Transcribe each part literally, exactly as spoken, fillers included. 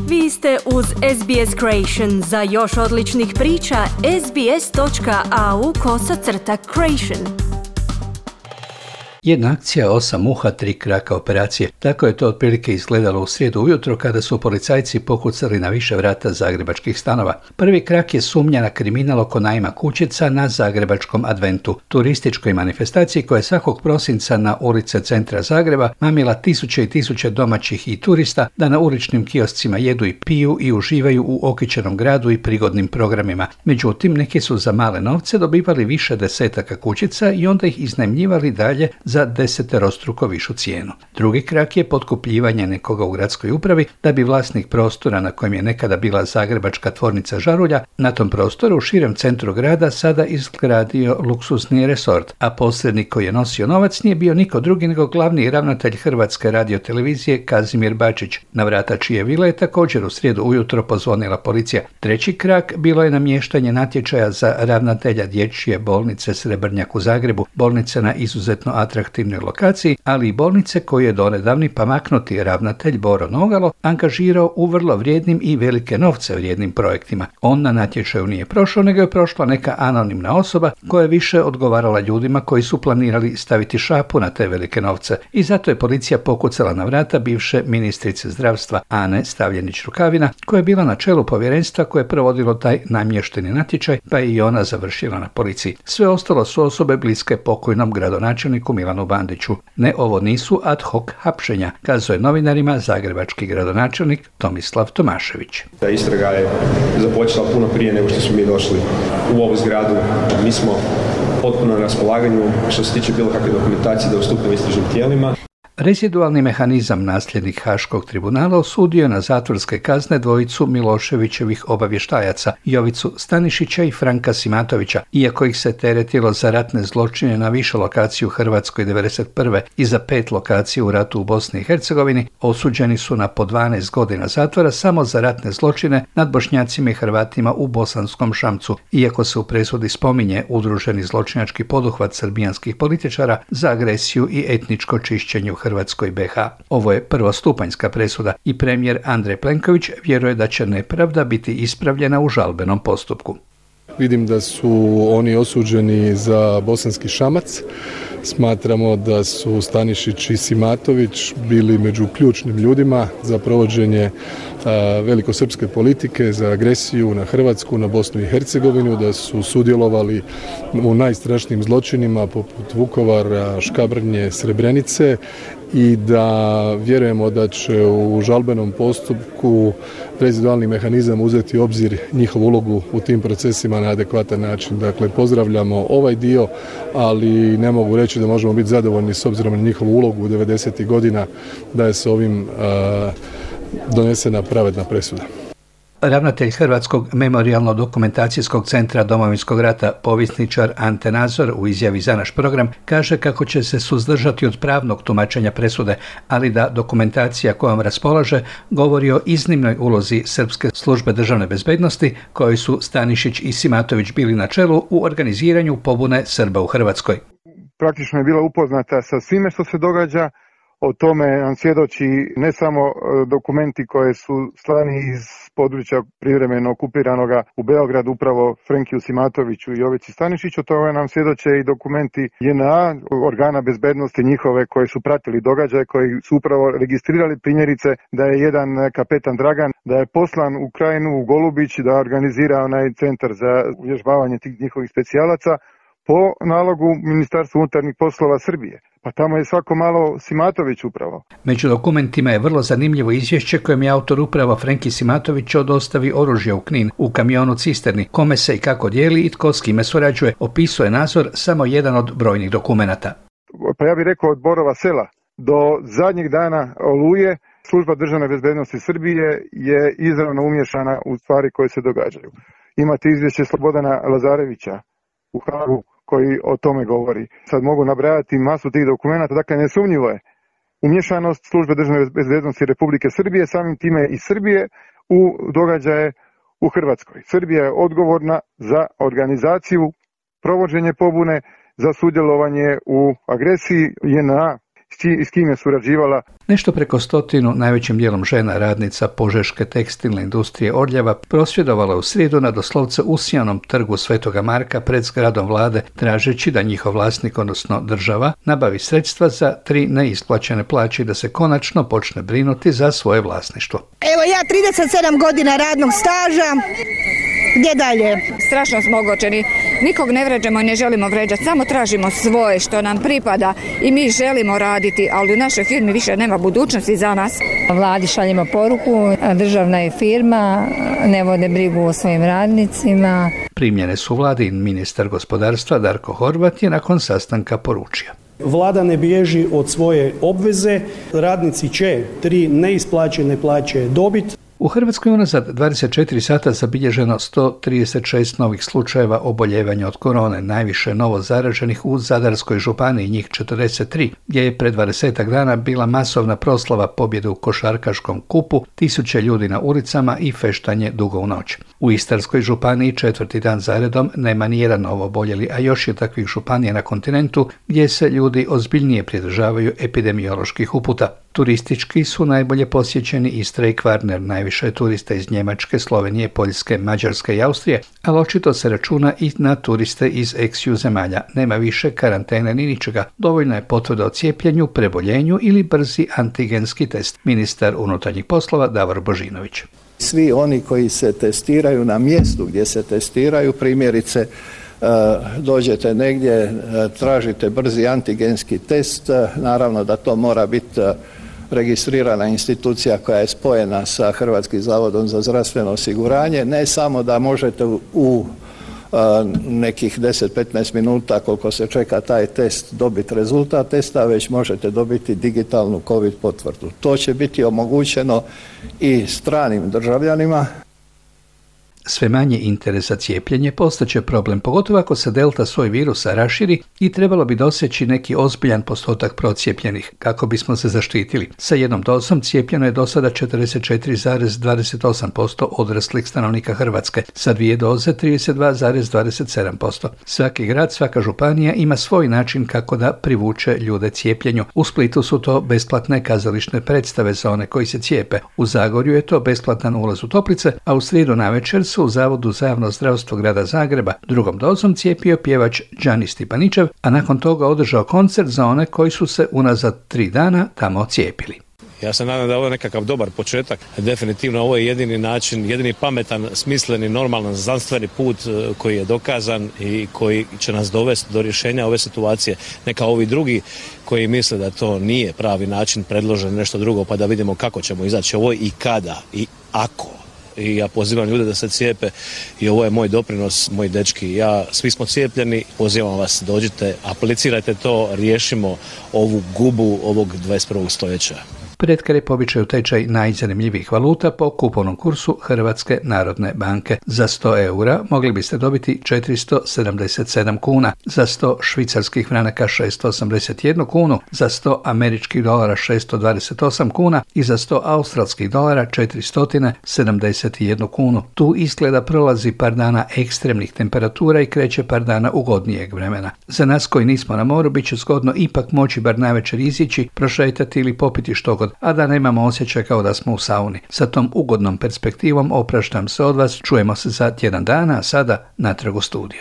Vi ste uz S B S Creation. Za još odličnih priča, sbs.au kosacrta creation. Jedna akcija, osam muha, tri kraka operacije. Tako je to otprilike izgledalo u srijedu ujutro kada su policajci pokucali na više vrata zagrebačkih stanova. Prvi krak je sumnja na kriminal oko najma kućica na zagrebačkom adventu, turističkoj manifestaciji koja je svakog prosinca na ulice centra Zagreba mamila tisuće i tisuće domaćih i turista da na uličnim kioscima jedu i piju i uživaju u okićenom gradu i prigodnim programima. Međutim, neki su za male novce dobivali više desetaka kućica i onda ih iznajmljivali dalje za deseterostruko višu cijenu. Drugi krak je potkupljivanje nekoga u gradskoj upravi da bi vlasnik prostora na kojem je nekada bila zagrebačka tvornica žarulja na tom prostoru u širem centru grada sada izgradio luksuzni resort, a posrednik koji je nosio novac nije bio niko drugi nego glavni ravnatelj Hrvatske radiotelevizije Kazimir Bačić, na vrata čije vile je također u srijedu ujutro pozvonila policija. Treći krak bilo je namještanje natječaja za ravnatelja dječje bolnice Srebrnjak u Zagrebu, bolnice na izuzetno atraktivnoj lokaciji, ali i bolnice koju je donedavni pamaknuti ravnatelj Boro Nogalo angažirao u vrlo vrijednim i velike novce vrijednim projektima. On na natječaju nije prošao, nego je prošla neka anonimna osoba koja je više odgovarala ljudima koji su planirali staviti šapu na te velike novce. I zato je policija pokucala na vrata bivše ministrice zdravstva Ane Stavljenić-Rukavina, koja je bila na čelu povjerenstva koje je provodilo taj namješteni natječaj, pa je i ona završila na policiji. Sve ostalo su osobe bliske pokojnom gradonačelniku Milanu Bandiću. Ne, ovo nisu ad hoc hapšenja, kazao je novinarima zagrebački gradonačelnik Tomislav Tomašević. Ta istraga je započela puno prije nego što smo mi došli u ovu zgradu. Mi smo potpuno na raspolaganju što se tiče bilo kakve dokumentacije da ustupimo istražnim tijelima. Rezidualni mehanizam nasljednik Haškog tribunala osudio je na zatvorske kazne dvojicu Miloševićevih obavještajaca, Jovicu Stanišića i Franka Simatovića, iako ih se teretilo za ratne zločine na više lokaciju u Hrvatskoj devedeset prve i za pet lokacija u ratu u Bosni i Hercegovini, osuđeni su na po dvanaest godina zatvora samo za ratne zločine nad Bošnjacima i Hrvatima u Bosanskom Šamcu, iako se u presudi spominje udruženi zločinački poduhvat srbijanskih političara za agresiju i etničko čišćenje u Hrvatskoj B H. Ovo je prvostupanjska presuda i premijer Andrej Plenković vjeruje da će nepravda biti ispravljena u žalbenom postupku. Vidim da su oni osuđeni za Bosanski Šamac. Smatramo da su Stanišić i Simatović bili među ključnim ljudima za provođenje a, velikosrpske politike, za agresiju na Hrvatsku, na Bosnu i Hercegovinu, da su sudjelovali u najstrašnijim zločinima poput Vukovara, Škabrnje, Srebrenice i da vjerujemo da će u žalbenom postupku rezidualni mehanizam uzeti u obzir njihovu ulogu u tim procesima na adekvatan način. Dakle, pozdravljamo ovaj dio, ali ne mogu reći da možemo biti zadovoljni s obzirom na njihovu ulogu u devedesetih godina da je s ovim a, donesena pravedna presuda. Ravnatelj Hrvatskog memorijalno-dokumentacijskog centra Domovinskog rata, povjesničar Ante Nazor, u izjavi za naš program kaže kako će se suzdržati od pravnog tumačenja presude, ali da dokumentacija kojom raspolaže govori o iznimnoj ulozi Srpske službe državne bezbednosti, koji su Stanišić i Simatović bili na čelu u organiziranju pobune Srba u Hrvatskoj. Praktično je bila upoznata sa svime što se događa. O tome nam svjedoči ne samo dokumenti koje su slani iz područja privremeno okupiranoga u Beogradu upravo Frenkiju Simatoviću i Jovici Stanišiću, o tome nam svjedoče i dokumenti J N A, organa bezbednosti njihove koji su pratili događaje, koji su upravo registrirali primjerice da je jedan kapetan Dragan, da je poslan u Krajinu, u Golubić, da organizira onaj centar za uvježbavanje tih njihovih specijalaca po nalogu Ministarstva unutarnjih poslova Srbije. Pa tamo je svako malo Simatović upravo. Među dokumentima je vrlo zanimljivo izvješće kojem je autor upravo Frenki Simatović dostavi oružje u Knin u kamionu cisterni, kome se i kako dijeli i tko s kime surađuje, opisuje Nazor samo jedan od brojnih dokumenata. Pa ja bih rekao od Borova sela do zadnjeg dana Oluje, Služba državne bezbednosti Srbije je izravno umješana u stvari koje se događaju. Imate izvješće Slobodana Lazarevića u Hagu koji o tome govori. Sad mogu nabrajati masu tih dokumenata, dakle nesumnjivo je umješanost Službe državne bezbednosti Republike Srbije, samim time i Srbije u događaje u Hrvatskoj. Srbija je odgovorna za organizaciju, provođenje pobune, za sudjelovanje u agresiji J N A. s kim je surađivala. Nešto preko stotinu, najvećim dijelom žena, radnica požeške tekstilne industrije Orljava, prosvjedovala u srijedu na doslovce usijanom trgu Svetoga Marka pred zgradom vlade, tražeći da njihov vlasnik, odnosno država, nabavi sredstva za tri neisplaćene plaće i da se konačno počne brinuti za svoje vlasništvo. Evo ja trideset sedam godina radnog staža, gdje dalje? Strašno smo ogorčeni, nikog ne vređamo i ne želimo vređati, samo tražimo svoje što nam pripada i mi želimo raditi, ali u našoj firmi više nema budućnosti za nas. Vladi šaljemo poruku, državna je firma, ne vode brigu o svojim radnicima. Primljene su vladi, ministar gospodarstva Darko Horvat je nakon sastanka poručio. Vlada ne bježi od svoje obveze, radnici će tri neisplaćene plaće dobiti. U Hrvatskoj unazad dvadeset četiri sata zabilježeno sto trideset šest novih slučajeva oboljevanja od korone, najviše novo zaraženih u Zadarskoj županiji, njih četrdeset tri, gdje je pred dvadesetak dana bila masovna proslava pobjede u košarkaškom kupu, tisuće ljudi na ulicama i feštanje dugo u noć. U Istarskoj županiji četvrti dan zaredom nema nijedan novo oboljeli, a još je takvih županija na kontinentu gdje se ljudi ozbiljnije pridržavaju epidemioloških uputa. Turistički su najbolje posjećeni Istra i Kvarner, najviše turista iz Njemačke, Slovenije, Poljske, Mađarske i Austrije, ali očito se računa i na turiste iz ex-ju zemalja. Nema više karantene ni ničega. Dovoljno je potvrda o cijepljenju, preboljenju ili brzi antigenski test. Ministar unutarnjih poslova Davor Božinović. Svi oni koji se testiraju na mjestu gdje se testiraju, primjerice dođete negdje, tražite brzi antigenski test, naravno da to mora biti registrirana institucija koja je spojena sa Hrvatskim zavodom za zdravstveno osiguranje, ne samo da možete u nekih deset do petnaest minuta koliko se čeka taj test dobiti rezultat testa, već možete dobiti digitalnu COVID potvrdu. To će biti omogućeno i stranim državljanima. Sve manje interes za cijepljenje postaće problem, pogotovo ako se delta soj virusa raširi i trebalo bi doseći neki ozbiljan postotak procijepljenih kako bismo se zaštitili. Sa jednom dozom cijepljeno je do sada četrdeset četiri zarez dvadeset osam posto odraslih stanovnika Hrvatske, sa dvije doze trideset dva zarez dvadeset sedam posto. Svaki grad, svaka županija ima svoj način kako da privuče ljude cijepljenju. U Splitu su to besplatne kazališne predstave za one koji se cijepe. U Zagorju je to besplatan ulaz u toplice, a u srijedu navečer u Zavodu za javno zdravstvo grada Zagreba drugom dozom cijepio pjevač Đani Stipaničev, a nakon toga održao koncert za one koji su se unazad tri dana tamo cijepili. Ja se nadam da je ovo nekakav dobar početak. Definitivno ovo je jedini način, jedini pametan, smisleni, normalan, znanstveni put koji je dokazan i koji će nas dovesti do rješenja ove situacije. Neka ovi drugi koji misle da to nije pravi način predložen nešto drugo, pa da vidimo kako ćemo izaći ovo i kada i ako. I ja pozivam ljude da se cijepe i ovo je moj doprinos, moji dečki. Ja, svi smo cijepljeni, pozivam vas, dođite, aplicirajte to, riješimo ovu gubu ovog dvadeset prvog stoljeća. Pred kraj po običaju tečaj najzanimljivijih valuta po kupovnom kursu Hrvatske narodne banke. Za sto eura mogli biste dobiti četiristo sedamdeset sedam kuna, za sto švicarskih franaka šesto osamdeset jednu kunu, za sto američkih dolara šesto dvadeset osam kuna i za sto australskih dolara četiristo sedamdeset jednu kunu. Tu izgleda prolazi par dana ekstremnih temperatura i kreće par dana ugodnijeg vremena. Za nas koji nismo na moru bit će zgodno ipak moći bar navečer izići, prošetati ili popiti što god, a da nemamo osjećaj kao da smo u sauni. Sa tom ugodnom perspektivom opraštam se od vas, čujemo se za tjedan dana, a sada natrag u studio.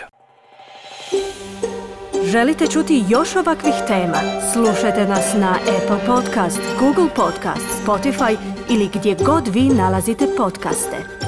Želite čuti još ovakvih tema? Slušajte nas na Apple Podcast, Google Podcast, Spotify ili gdje god vi nalazite podcaste.